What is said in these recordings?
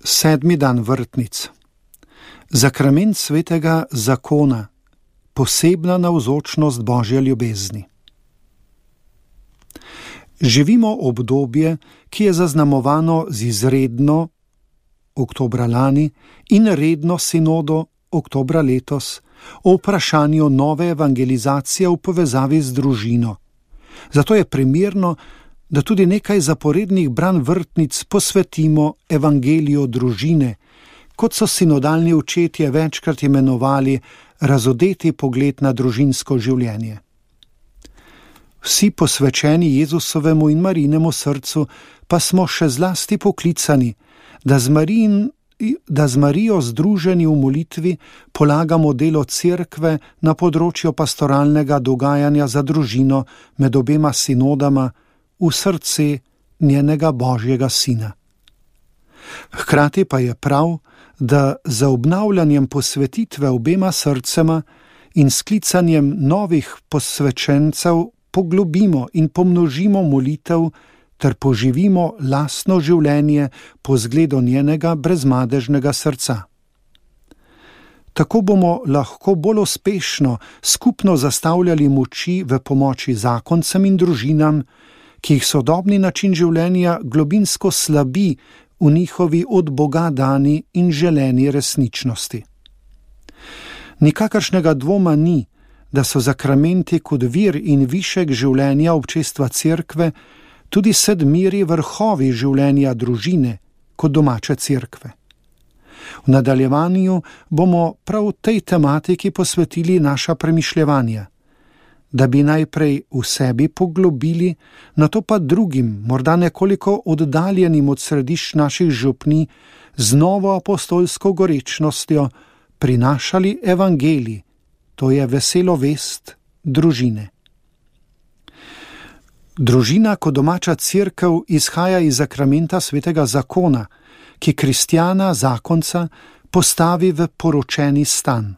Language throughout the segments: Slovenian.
7. dan vrtnic. Zakrament svetega zakona, posebna navzočnost Božje ljubezni. Živimo obdobje, ki je zaznamovano z izredno, oktobra lani, in redno sinodo, oktobra letos, o vprašanju nove evangelizacije v povezavi z družino. Zato je primerno, da tudi nekaj zaporednih branj vrtnic posvetimo evangeliju družine, kot so sinodalni očetje večkrat imenovali razodeti pogled na družinsko življenje. Vsi posvečeni Jezusovemu in Marijinemu srcu pa smo še zlasti poklicani, da z Marijo združeni v molitvi polagamo delo cerkve na področju pastoralnega dogajanja za družino med obema sinodama v srce njenega Božjega Sina. Hkrati pa je prav, da za obnavljanjem posvetitve obema srcema in sklicanjem novih posvečencev poglobimo in pomnožimo molitev ter poživimo lastno življenje po zgledu njenega brezmadežnega srca. Tako bomo lahko bolj uspešno skupno zastavljali moči v pomoči zakoncem in družinam, ki jih sodobni način življenja globinsko slabi v njihovi od Boga dani in želeni resničnosti. Nikakršnega dvoma ni, da so zakramenti kot vir in višek življenja občestva cerkve tudi sedmiri vrhovi življenja družine kot domače cerkve. V nadaljevanju bomo prav tej tematiki posvetili naša premišljevanja, da bi najprej v sebi poglobili, nato pa drugim, morda nekoliko oddaljenim od središč naših župni, z novo apostolsko gorečnostjo prinašali evangelij, to je veselo vest družine. Družina kot domača cerkev izhaja iz zakramenta svetega zakona, ki kristjana, zakonca, postavi v poročeni stan.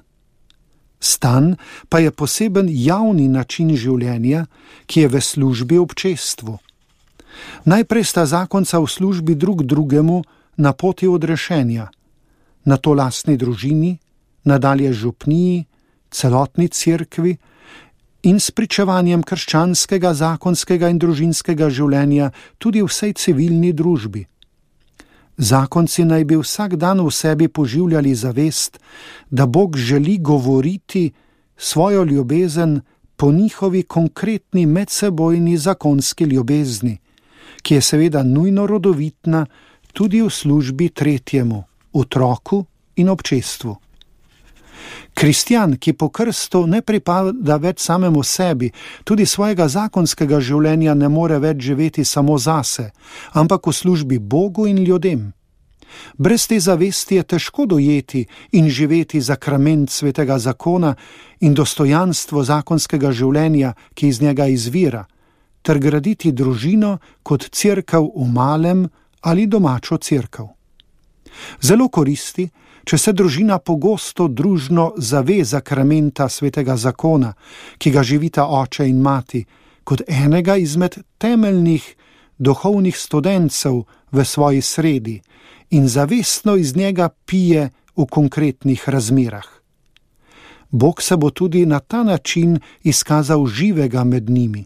Stan pa je poseben javni način življenja, ki je v službi občestvu. Najprej sta zakonca v službi drug drugemu na poti odrešenja, nato lastni družini, nadalje župniji, celotni cerkvi in s pričevanjem krščanskega, zakonskega in družinskega življenja tudi vsej civilni družbi. Zakonci naj bi vsak dan v sebi poživljali zavest, da Bog želi govoriti svojo ljubezen po njihovi konkretni medsebojni zakonski ljubezni, ki je seveda nujno rodovitna tudi v službi tretjemu, otroku in občestvu. Kristjan, ki po krstu ne pripada več samemu sebi, tudi svojega zakonskega življenja ne more več živeti samo zase, ampak v službi Bogu in ljudem. Brez te zavesti je težko dojeti in živeti zakrament svetega zakona in dostojanstvo zakonskega življenja, ki iz njega izvira, ter graditi družino kot cerkev v malem ali domačo cerkev. Zelo koristi, če se družina pogosto družno zave zakramenta svetega zakona, ki ga živita oče in mati, kot enega izmed temeljnih duhovnih studencev v svoji sredi in zavestno iz njega pije v konkretnih razmerah. Bog se bo tudi na ta način izkazal živega med njimi.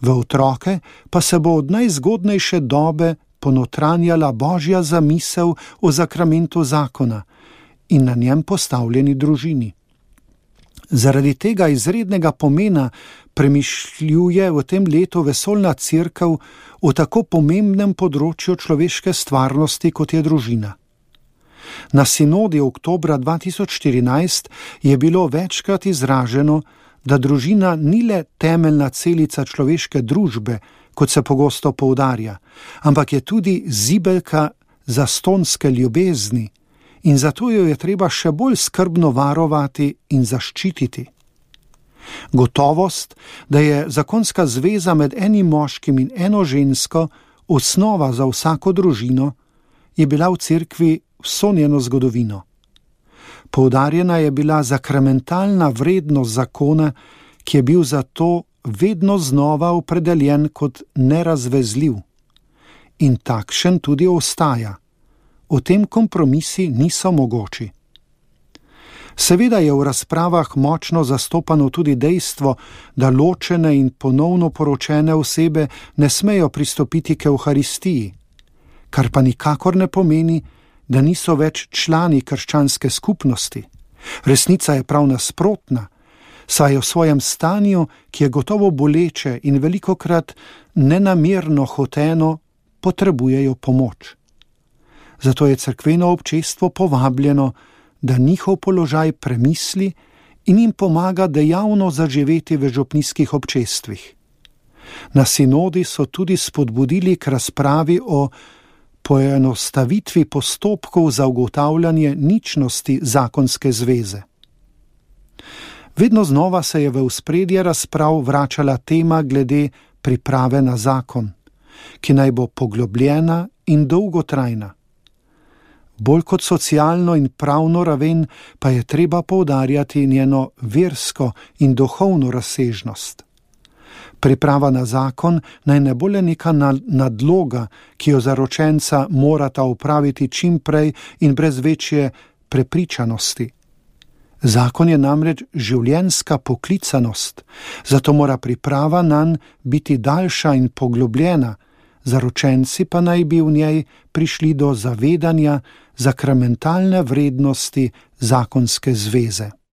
V otroke pa se bo od najzgodnejše dobe ponotranjala Božja zamisel o zakramentu zakona in na njem postavljeni družini. Zaradi tega izrednega pomena premišljuje v tem letu vesoljna cerkev o tako pomembnem področju človeške stvarnosti, kot je družina. Na sinodi oktobra 2014 je bilo večkrat izraženo, da družina ni le temeljna celica človeške družbe, kot se pogosto poudarja, ampak je tudi zibelka zastonske ljubezni in zato jo je treba še bolj skrbno varovati in zaščititi. Gotovost, da je zakonska zveza med enim moškim in eno žensko osnova za vsako družino, je bila v cerkvi vso njeno zgodovino. Poudarjena je bila zakramentalna vrednost zakona, ki je bil zato vedno znova opredeljen kot nerazvezljiv. In takšen tudi ostaja. v tem kompromisi niso mogoči. Seveda je v razpravah močno zastopano tudi dejstvo, da ločene in ponovno poročene osebe ne smejo pristopiti k Evharistiji, kar pa nikakor ne pomeni, da niso več člani krščanske skupnosti. Resnica je prav nasprotna, saj v svojem stanju, ki je gotovo boleče in velikokrat nenamerno hoteno, potrebujejo pomoč. Zato je cerkveno občestvo povabljeno, da njihov položaj premisli in jim pomaga dejavno zaživeti v župnijskih občestvih. Na sinodi so tudi spodbudili k razpravi o poenostavitvi postopkov za ugotavljanje ničnosti zakonske zveze. Vedno znova se je v ospredje razprav vračala tema glede priprave na zakon, ki naj bo poglobljena in dolgotrajna. Bolj kot socialno in pravno raven pa je treba poudarjati njeno versko in duhovno razsežnost. Priprava na zakon naj ne bo le neka nadloga, ki jo zaročenca morata opraviti čim prej in brez večje prepričanosti. Zakon je namreč življenjska poklicanost, zato mora priprava nanj biti daljša in poglobljena, zaročenci pa naj bi v njej prišli do zavedanja sakramentalne vrednosti zakonske zveze.